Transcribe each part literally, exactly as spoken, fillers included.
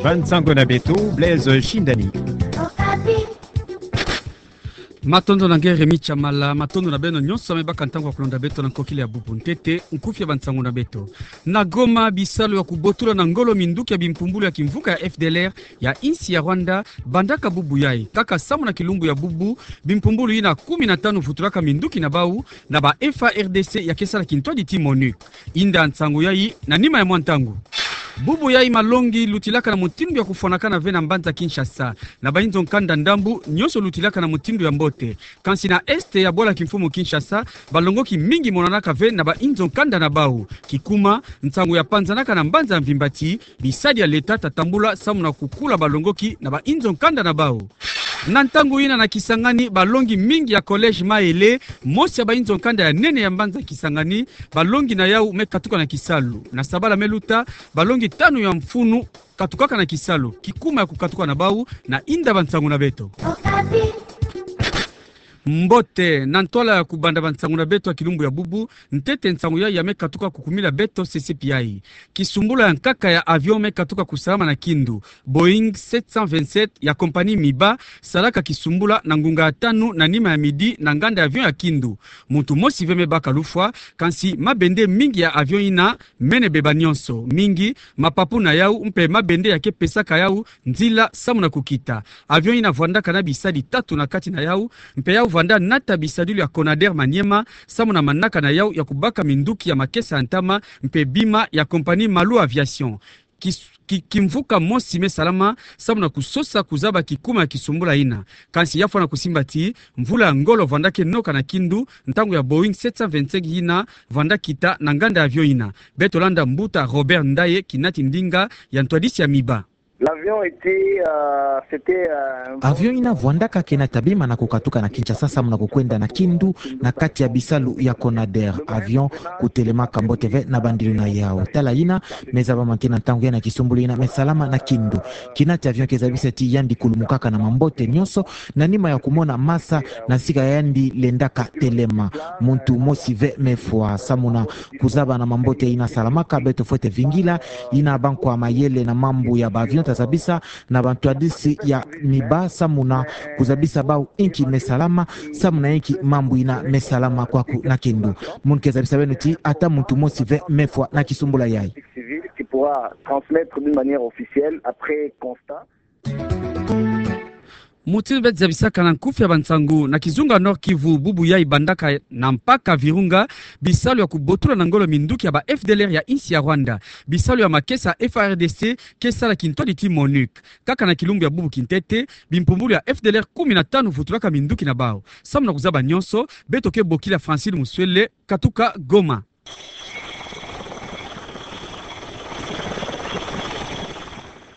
Bansango na beto, Blaise Shindani. Matondo na nge Rémy Tshamala, matondo na beno nyonso me baka ntangu ya kulonda beto na nkokila ya bubu. Ntete, nkufi ya bansango na beto. Na Goma, bisalu ya kubotula na ngolo minduki ya bimpumbulu ya kimvuka ya F D L R ya insi ya Rwanda bandaka bubu yai. Kaka samu na kilumbu ya bubu, bimpumbulu yina kumi na tanu vutulaka minduki na bau na ba F A R D C ya ke sala kintwadi ti MONUC. Inda nsangu yai na nima ya mwa ntangu. Bubu yai malongi lutilaka na mutindu ya kufwanakana ve na mbanza Kinshasa. Na bainzo nkanda ndambu, nyonso lutilaka na mutindu ya mbote. Kansi na est ya bwala kimfumu Kinshasa, balongoki mingi monanaka ve na bainzo nkanda na bau. Kikuma, nsangu ya panzanaka na mbanza ya mvimba ti bisadi ya leta ta tambula samu na kukula balongoki na bainzo nkanda na bau. Na ntangu yina na Kisangani, balongi mingi ya collège Maele, mosi ya bainzo nkanda ya nene ya mbanza Kisangani, balongi na yau me katuka na kisalu. Na sabala me luta, balongi tanu ya mfunu katukaka na kisalu. Kikuma ya kukatuka na bau, na inda bansango na beto. Mbote, na ntwala ya kubanda bansango na beto ya kilumbu ya bubu, ntete nsangu yai ya me katuka kukumila beto sese piai. Kisumbula ya nkaka ya avion me katuka kusalama na Kindu. Boeing sept cent vingt-sept ya compagnie Miba salaka kisumbula na ngunga ya tanu na nima ya midi na nganda ya avion ya Kindu. Muntu mosi ve me baka lufwa, kansi mabende mingi ya avion yina mene beba nyonso. Mingi, mapapu na yau mpe mabende ya ke pesaka yau nzila samu na kukita. Avion yina vwandaka na bisadi tatu na kati na yau, mpe yau vwanda nata bisadilu ya Conader Maniema, samu na manaka na yau ya kubaka minduki ya makesa ya ntama, mpe bima ya compagnie Malu Aviation. Kis-, ki-, kimvuka mosi me salama, samu na kusosa kuzaba kikuma ya kisumbula yina. Kansi ya fwana kusimba ti, mvula ya ngolo vwanda ke noka na Kindu, ntangu ya Boeing sept cent vingt-cinq yina vwanda kita na nganda ya avion yina. Beto landa mbuta Robert Ndaye kinati ndinga ya ntwadisi ya Miba. L'avion était, euh, c'était, euh, un vol. Avion yina vwandaka ke nata bima na kukatuka na Kinshasa samu na kukwenda na Kindu na kati ya bisalu ya Conader. Avion kutelemaka mbote ve na bandilu na yau. Tala yina me zaba ma nge na ntangu yai na kisumbulu yina me salama na Kindu. Kinati avion ke zabisa ti yandi kulumukaka na mambote nyonso, na nima ya kumona masa na sika yandi lendaka telema. Muntu mosi ve me fwa. Samu na kuzaba na mambote yina salamaka, beto fwete vingila yina bankwa mayele na mambu ya ba avion ta zabisa na bantwadisi ya Miba samu na kuzabisa bau inki me salama, samu na inki mambu yina me salama kwaku na Kindu. Munu ke zabisa beno ti ata muntu mosi ve me fwa na kisumbula yai. Civil qui pourra transmettre d'une manière officielle après constat. Mutindu beto zabisaka na nkufi ya bansangu, na kizunga Nord-Kivu, bubu yai bandaka na mpaka Virunga bisalu ya kubotula na ngolo minduki ya ba F D L R ya insi ya Rwanda. Bisalu ya makesa F A R D C ke sala kintwadi ti MONUC. Kaka na kilumbu ya bubu kintete, bimpumbulu ya F D L R kumi na tanu vutulaka minduki na bau. Samu na kuzaba nyonso, beto ke bokila Francine Muswele, katuka Goma.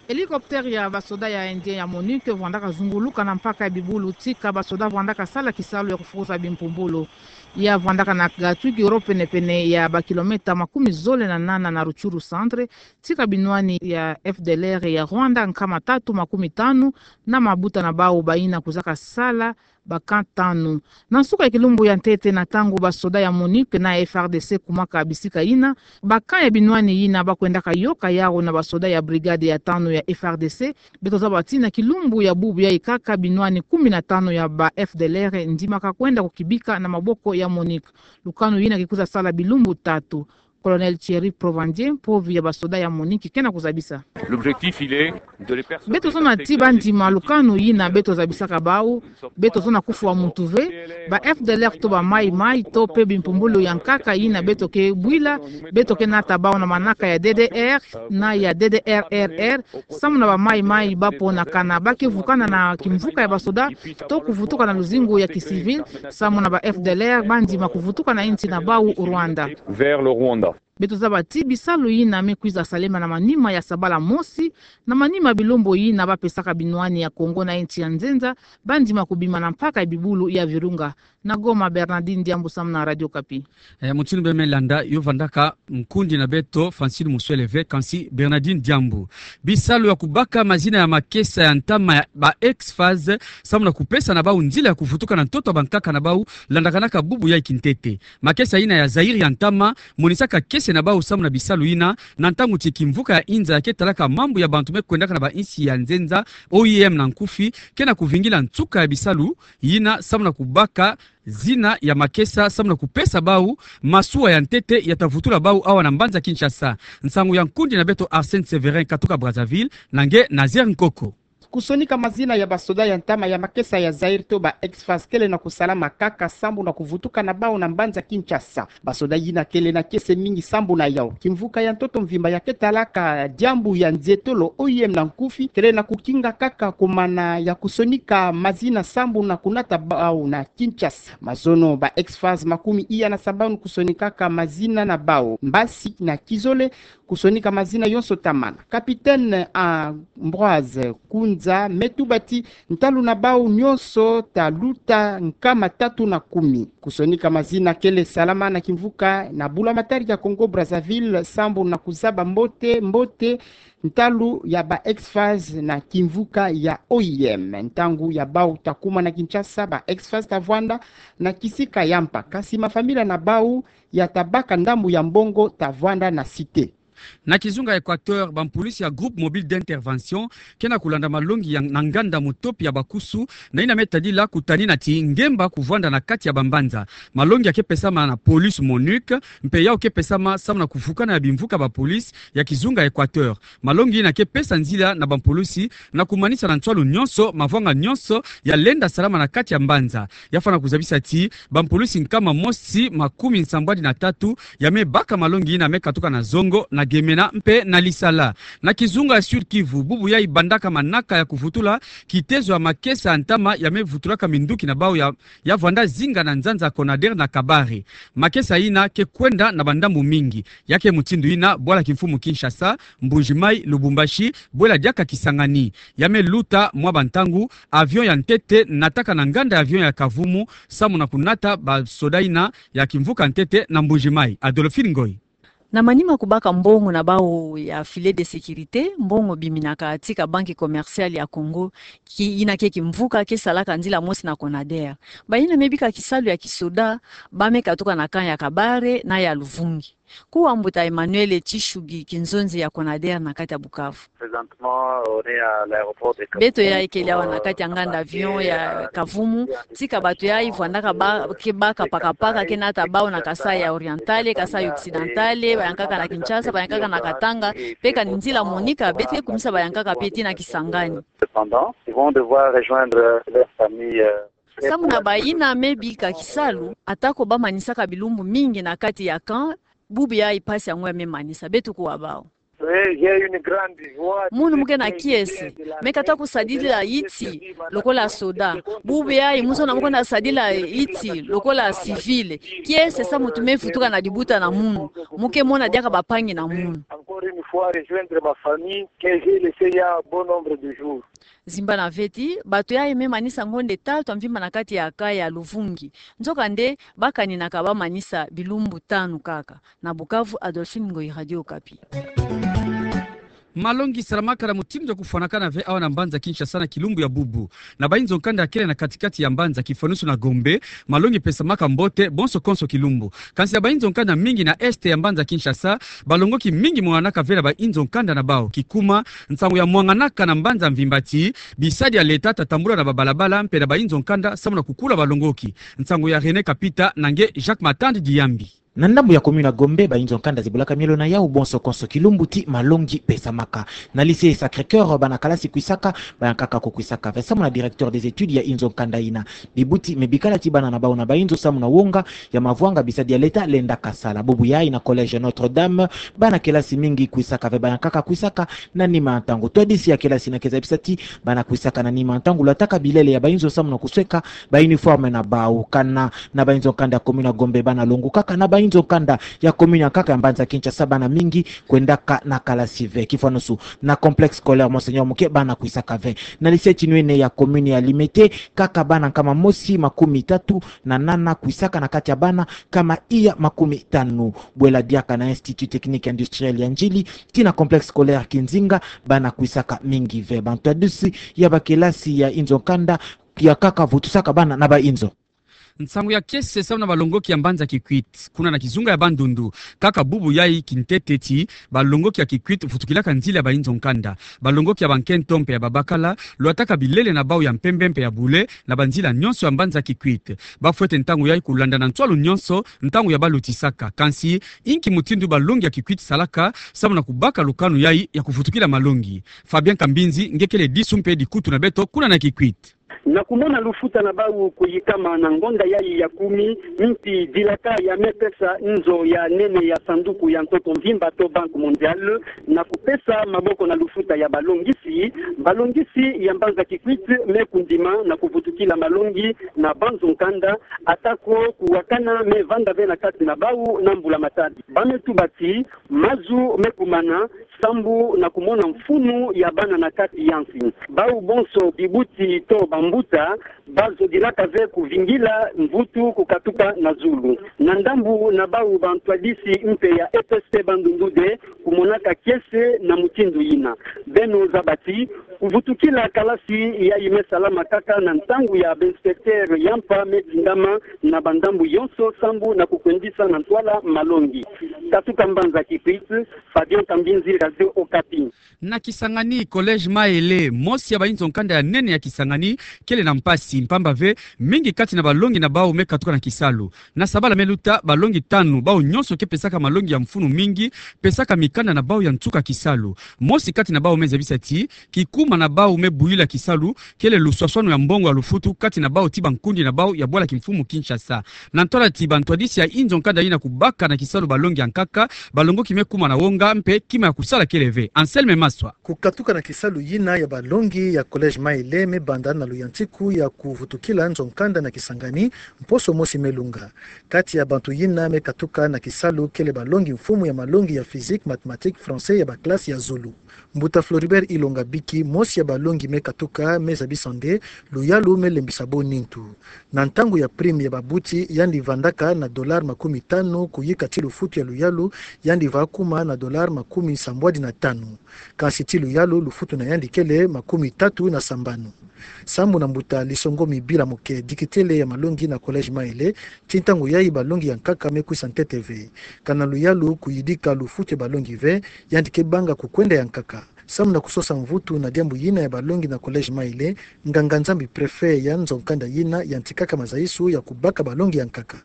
Hélicoptère ya basoda ya Indien ya MONUC vwandaka zunguluka na mpaka ya bibulu tika basoda vwandaka sala kisalu ya kufukuza bimpumbulu. Ya vwandaka na Gatwiki, oro penepene ya bakilomètre makumi zole na nana na Rutshuru centre, tika binwani ya F D L R ya Rwanda nkama tatu makumi tanu na mabuta na bau bayina kuzaka sala ba camp tanu. Na nsuka ya kilumbu ya ntete, na ntangu basoda ya MONUC na F A R D C kumaka bisika yina, ba camp ya binwani yina bakwendaka yoka yau na basoda ya brigade ya tanu ya F A R D C, beto zaba ti na kilumbu ya bubu yai kaka binwani kumi na tanu ya ba F D L R ndimaka kwenda kukibika na maboko ya MONUC. Lukanu yina kikwiza sala bilumbu tatu. Colonel Thierry Provandier, mpovi ya basoda ya MONUC, ke na kuzabisa. L'objectif, il est de les persuader. Beto zona ti bandima lukanu yina beto zabisaka bau, beto zona kufwa muntu ve, ba F D L R to ba Mai Mai to pe bimpumbulu ya nkaka yina beto ke bwila, beto ke nata bau na manaka ya D D R na ya D D R R R, samu na ba Mai Mai baponakana, ba ke vukana na kimvuka ya basoda, to kuvutuka na luzingu ya kisivil, samu na ba F D L R bandima kuvutuka na insi na bau Rwanda. Vers le Rwanda. Beto zaba ti bisalu yina me kwiza salema na manima ya sabala mosi, na manima bilumbu yina bapesaka binwani ya Congo na insi ya nzenza bandima kubima na mpaka ya bibulu ya Virunga. Na Goma, Bernardine Diambu samu na Radio Okapi. Eh, mutindu beno me landa, yo vandaka nkundi na beto Francine Muswele ve, kansi Bernardine Diambu. Bisalu ya kubaka mazina ya makesa ya ntama ya ba X-FAS, samu na kupesa na bau nzila ya kuvutuka na ntoto ya bankaka na bau, landakanaka bubu yai kintete. Makesa yina ya Zaïre ya ntama, monisaka ke se na bau samu na bisalu yina, na ntangu ti kimvuka ya inza ya ke talaka mambu ya bantu me kwendaka na bainsi ya nzenza, O I M na nkufi, ke na kuvingila nsuka ya bisalu yina samu na kubaka zina ya makesa samu na kupesa bau masuwa ya ntete ya ta vutula bau awa na mbanza Kinshasa. Nsangu ya nkundi na beto Arsène Sévérin katuka Brazzaville, na nge Nazaire Nkoko. Kusonika mazina ya basoda ya ntama ya makesa ya Zaïre to ba ex-FAS kele na kusalama kaka sambu na kuvutuka na bau na mbanza Kinshasa. Basoda yina kele na kiese mingi sambu na yau. Kimvuka ya ntoto mvimba ya ke talaka diambu ya nzietolo O I M na nkufi kele na kukinga kaka kumana ya kusonika mazina sambu na kunata bau na Kinshasa. Mazono ba ex-FAS makumi iya na sambanu kusonikaka mazina na bau. Mbasi na kizole kusonika mazina yonso tamana. Capitaine Ambroise Kunza me tuba ti ntalu na bau nyonso ta luta nkama tatu na kumi. Kusonika mazina kele salama na kimvuka na bula matari ya Congo Brazzaville sambu na kuzaba mbote mbote ntalu ya ba ex-FAS na kimvuka ya O I M. Ntangu ya bau ta kuma na Kinshasa, ba ex-FAS ta vwanda na kisika ya mpa, kasi mafamila na bau ya ta baka ndambu ya mbongo ta vwanda na Cité. Na kizunga Équateur, bampolisi ya Groupe Mobile d'Intervention ke na kulanda malongi ya, na nganda motopi ya bakusu, na yina me tadila kutanina ti ngemba kuvwanda na kati ya bambanza. Malongi ya ke pesama na police MONUC, mpe yau ke pesama samu na kuvukana ya bimvuka bapolisi ya kizunga Équateur. Malongi yina ke pesa nzila na bampolisi na kumanisa na nswalu nyonso mavwanga nyonso ya lenda salama na kati ya mbanza. Ya fwana kuzabisa ti bampolisi nkama mosi makumi nsambwadi na tatu ya me baka malongi yina me katuka na zongo, na Gemena mpe na Lisala. Na kizunga ya Sud-Kivu, bubu yayi bandaka manaka ya kuvutula kitezo ya makesa ya ntama ya me vutulaka minduki na bau ya, ya vwanda zinga na nzanza Conader na Kabare. Makesa yina ke kwenda na bandambu mingi. Ya ke mutindu yina bwala kimfumu Kinshasa, Mbuji-Mayi, Lubumbashi, bwela diaka Kisangani. Ya me luta mwa bantangu, avion ya ntete nataka na nganda ya avion ya Kavumu, samu na kunata basoda yina ya kimvuka ntete na Mbuji-Mayi. Adolphine Ngoyi. Na manima kubaka mbongo na bau ya filet de sécurité, mbongo biminaka tika Banque Commerciale ya Congo, ki yina ke kimvuka ke salaka nzila mosi na Conader. Bayina me bika kisalu ya kisoda, ba me katuka na camp ya Kabare na ya Luvungi. Kuwa mbuta Emmanuel Tshishugi, kinzonzi ya Conader na kati ya Bukavu. Beto yayi kele awa na kati ya nganda avion ya Kavumu, tika bato yayi vwandaka ba, ke baka pakapaka, ke nata bau na Kasaï ya Orientale, Kasaï Occidentale, bayankaka na Kinshasa, bayankaka na Katanga, mpe kani nzila monika, beto ke kumisa bayankaka mpe tii na Kisangani. Cependant, ils vont devoir rejoindre leur famille, euh, Samu na bayina me bika kisalu, atako ba manisaka bilumbu mingi na kati ya camp, bubu yayi mpasi yango ya me manisa, beto kuwa bau. Munu mu ke na kiese, me kata kusadila iti lokola soda. Bubu yayi mu zona mu kwenda sadila iti lokola civil. Kiese samu tu me vutuka na dibuta na munu. Mu ke mona diaka bampangi na munu. Encore une fois, rejoindre ma famille que j'ai laissée il y a un bon nombre de jours. Zimbana ve ti, bato yayi me manisa ngonde tatu ya mvimba na kati ya camp ya Luvungi. Nzokande, ba kaninaka ba manisa bilumbu tanu kaka. Na Bukavu, Adolphine Ngoyi, Radio Okapi. Malongi salamaka na mutindu ya kufwanakana ve awa na mbanza Kinshasa na kilumbu ya bubu. Na bayinzo nkanda ya kele na kati-kati ya mbanza, kifwanusu na Gombe, malongi pesamaka mbote bonso konso kilumbu. Kansi na bayinzo nkanda mingi na est ya mbanza Kinshasa, balongoki mingi mwanganaka ve na bayinzo nkanda na bau. Kikuma, nsangu ya mwanganaka na mbanza mvimba ti bisadi ya leta ta tambula na babalabala mpe na bayinzo nkanda samu na kukula balongoki. Nsangu ya René Kapita na nge Jacques Matandi Diyambi. Na ndambu ya commune ya Gombe, bayinzo nkanda zibulaka mielo na yau bonso konso kilumbu ti malongi pesamaka. Na lycée Sacré-Cœur, bana kalasi kwisaka, bayankaka ko kwisaka ve samu na directeur des études ya yinzo nkanda yina. Bibuti me bikala ti bana na bau na bayinzo samu na wonga ya mavwanga bisadi ya leta lendaka sala. Bubu yayi na collège Notre-Dame, bana kelasi mingi kwisaka ve, bayankaka kwisaka na nima ya ntangu. Twadisi ya kelasi yina ke zabisa ti bana kwisaka na nima ya ntangu, lwataka bilele ya bayinzo samu na kusweka ba uniforme na bau. Kana na bayinzo nkanda ya commune ya Gombe, bana longukaka na bayinzo nkanda ya commune ya nkaka ya mbanza Kinshasa, bana mingi kwendaka na kalasi ve. Kifwanusu, na complexe scolaire Monseigneur Muke, bana kwisaka ve. Na lycée Tinwene ya commune ya Limete, kaka bana nkama mosi makumi tatu na nana kwisaka na kati ya bana nkama iya makumi tanu. Bwela diaka na Institut Technique Industriel ya Ndjili tii na complexe scolaire Kinzinga, bana kwisaka mingi ve. Bantwadisi ya bakelasi ya yinzo nkanda ya nkaka vutusaka bana na bayinzo. Nsangu ya kiese samu na balongoki ya mbanza Kikwit, kuna na kizunga ya Bandundu, kaka bubu yayi kintete ti balongoki ya Kikwit vutukilaka nzila ya bayinzo nkanda. Balongoki ya bankento mpe ya babakala lwataka bilele na bau ya mpembe mpe ya bule na banzila nyonso ya mbanza Kikwit. Bafwete ntangu yayi kulanda na ntwalu nyonso ntangu ya balutisaka. Kansi, inki mutindu balongi ya Kikwit salaka samu na kubaka lukanu yayi ya kuvutukila malongi? Fabien Kambinzi nge kele disu mpe dikutu na beto kuna na Kikwit. Na kumona lufuta na bau kuyikama na ngonda yayi ya kumi, mpi dilaka ya me pesa nzo ya nene ya sanduku ya ntoto mvimba to Banque Mondiale, na kupesa maboko na lufuta ya balongisi, balongisi ya mbanza Kikwit me kundima na kuvutukila malongi na banzo nkanda, atako kuwakana me vanda ve na kati na bau na mbula-matadi. Ba me tuba ti mazu me kumana sambu na kumona mfunu ya bana na kati ya nsi. Bau bonso bibuti to bambuta bazodilaka ve kuvingila mvutu kukatuka na zulu. Na ndambu na bau bantwadisi mpe ya E P S T Bandundu de kumonaka kiese na mutindu yina. Beno zaba ti kuvutukila kalasi yayi me salama kaka na ntangu ya ba-inspecteur ya mpa me tingama na bandambu yonso sambu na kukwendisa na ntwala malongi. Katuka mbanza Kikwit, Fabien Kambinzi, Radio Okapi. Na Kisangani, Collège Maele, mosi ya bayinzo nkanda ya nene ya Kisangani, kele na mpasi, mpamba ve mingi kati na balongi na bau me katuka na kisalu. Na sabala me luta, balongi tanu, bau nyonso ke pesaka malongi ya mfunu mingi, pesaka mikanda na bau ya nsuka kisalu. Mosi kati na bau me zabisa ti kikuma na bau me buyula kisalu kele luswaswanu ya mbongo ya lufutu kati na bau ti bankundi na bau ya bwala kimfumu Kinshasa. Na ntwala ti bantwadisi ya yinzo nkanda yina kubaka na kisalu balongi ya nkaka, balongoki me kuma na wonga mpe kima ya kusala kele ve. Anselme Maswa. Kukatuka na kisalu yina ya balongi ya Collège Maele me banda na luyantiku ya kuvutukila nzo nkanda na Kisangani, mposo mosi me lunga. Kati ya bantu yina me katuka na kisalu kele balongi mfumu ya malongi ya physique, mathématiques, français ya ba classe ya zulu. Mbuta Floribert Ilonga Biki, mosi ya balongi me katuka, me zabisa nde luyalu me lembisa bo nintu. Na ntangu ya prime ya babuti, yandi vandaka na dollar makumi tanu, kuyika ti lufutu ya luyalu yandi va kuma na dollar makumi sambwadi na tanu. Kansi ti luyalu, lufutu na yandi kele makumi tatu na sambanu. Sambu na mbuta Lisongomi Bilamuke, dikitele ya malongi na Collège Maele, ti ntangu yayi balongi ya nkaka me kwisa ntete ve. Kana luyalu kuyidika lufutu ya balongi ve, yandi ke banga kukwenda ya nkaka. Sambu na kusosa mvutu na diambu yina ya balongi na Collège Maele, nganga-Nzambi préfet ya nzo nkanda yina yantikaka mazayisu ya kubaka balongi ya nkaka.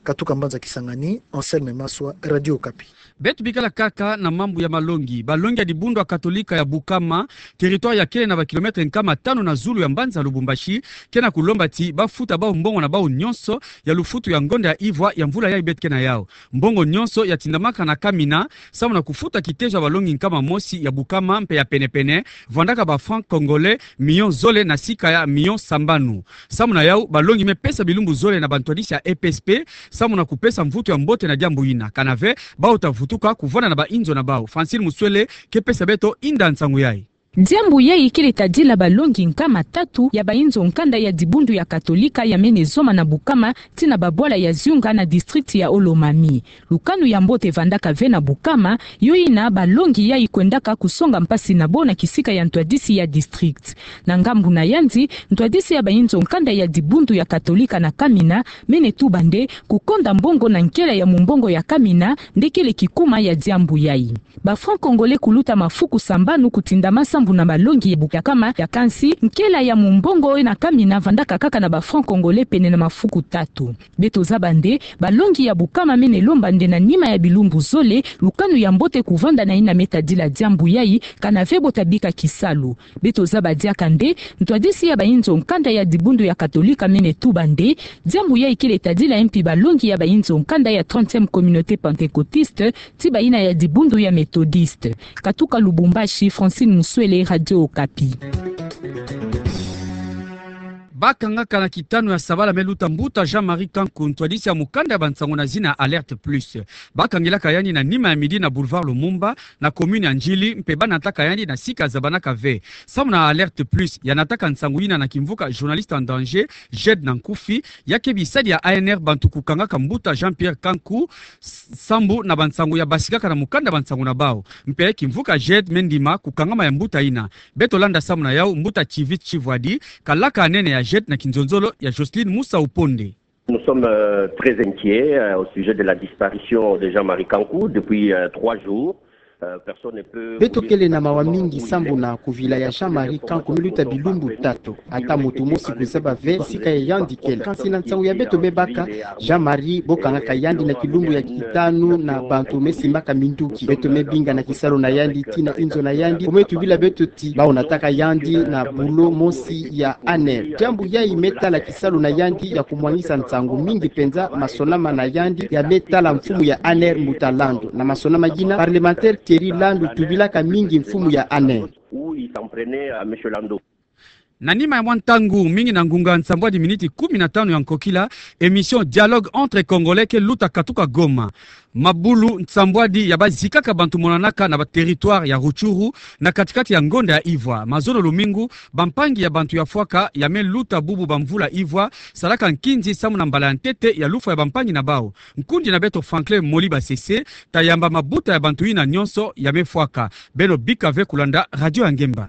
Katuka mbanza Kisangani, Anselme Maswa, Radio Okapi. Beto bikala kaka na mambu ya malongi. Balongi ya dibundu ya Katolika ya Bukama, territoire ya kele na ba kilomètre nkama tanu na zulu ya mbanza Lubumbashi, ke na kulomba ti bafuta bau mbongo na bau nyonso ya lufutu ya ngonda ya ivwa ya mvula yayi beto ke na yau. Mbongo nyonso ya tindamaka na Kamina, sambu na kufuta kitezo ya balongi nkama mosi ya Bukama mpe ya pene-pene, vandaka ba francs congolais million zole na sika ya million sambanu. Sambu na yau, balongi me pesa bilumbu zole na bantwadisi ya E P S P, sambu na kupesa mvutu ya mbote na diambu yina. Kana ve, bau ta vutuka kuvanda na bayinzo na bau. Francine Muswele ke pesa beto inda nsangu yayi. Diambu yayi kele tadila balongi nkama tatu ya bayinzo nkanda ya dibundu ya Katolika ya mene zoma na Bukama, tii na babwala ya Ziunga na district ya Haut-Lomami. Lukanu ya mbote vandaka ve na Bukama, yo yina balongi yayi kwendaka kusonga mpasi na bo na kisika ya ntwadisi ya district. Na ngambu na yandi, ntwadisi ya bayinzo nkanda ya dibundu ya Katolika na Kamina mene tuba nde kukonda mbongo na nkela ya mumbongo ya Kamina nde kele kikuma ya diambu yayi. Ba francs congolais kuluta mafuku sambanu kutindama sambu na balongi ya Bukama ya, kansi nkela ya mumbongo na Kamina vandaka kaka na ba francs congolais pene na mafuku tatu. Beto zaba nde balongi ya Bukama mene lomba nde na nima ya bilumbu zole, lukanu ya mbote kuvanda na yina me tadila diambu yayi, kana ve bo ta bika kisalu. Beto zaba diaka nde ntwadisi ya bayinzo nkanda ya dibundu ya Katolika mene tuba nde diambu yayi kele tadila mpi balongi ya bayinzo nkanda ya trentième communauté pentecôtiste, tii bayina ya dibundu ya Méthodiste. Katuka Lubumbashi, Francine Muswele, Radio Okapi. Bakangaka na kitanu ya sabala me luta mbuta Jean-Marie Kanku, ntwadisi ya mukanda ya bansangu na zina Alerte Plus. Bakangelaka yandi na nima ya midi na boulevard Lumumba, na commune ya Ndjili, mpe banataka yandi na sika zabanaka ve. Sambu na Alerte Plus, ya nataka nsangu yina na kimvuka Journaliste en danger, Jed na nkufi, ya ke bisadi ya A N R bantu kukangaka mbuta Jean-Pierre Kanku, s-, sambu na bansangu ya basikaka na mukanda bansangu na bau. Mpe kimvuka Jed me ndima kukangama ya mbuta yina. Beto landa samu na yau mbuta Chivit Chivwadi, kalaka nene ya Jed na kinzonzolo ya Jocelyne Musa Uponde. Nous sommes euh, très inquiets euh, au sujet de la disparition de Jean-Marie Kanku depuis euh, trois jours. Euh, personne ne peut... Beto kele na mawa mingi sambu na kuvila ya Jean-Marie Kanku me luta bilumbu tatu. Ata muntu mosi kuzaba ve sika ya yandi kele. Kansi na nsangu ya beto me baka, Jean-Marie bo kangaka yandi na kilumbu ya kitanu na bantu me simbaka minduki. Beto me binga na kisalu na yandi tii na inzo na yandi. Bo me tubila beto ti bawu nataka yandi na bulo mosi ya ANR. Diambu yayi me tala kisalu na yandi ya kumwangisa nsangu mingi penza, masonama na yandi ya me tala mfumu ya ANR Mbuta Landu. Na masonama yina, parlementaire Thierry Landu tubilaka mingi mfumu ya ANR. Où il s'en prenait à monsieur Landu. Na nima ya mwa ntangu mingi, na ngunga nsambwadi miniti kumi na tanu ya nkokila, émission Dialogue entre Congolais ke luta katuka Goma. Mabulu nsambwadi ya bazikaka bantu monanaka na ba territoire ya Rutshuru, na katikati ya ngonda ya ivwa. Mazono lumingu, bampangi ya bantu ya fwaka ya me luta bubu bamvula ivwa, salaka nkinzi samu na mbala ya ntete ya lufwa ya bampangi na bawu. Nkundi na beto Franklin Moliba Sese, tayamba mabuta ya bantu yina nyonso ya me fwaka. Beno bika ve kulanda Radio ya Ngemba.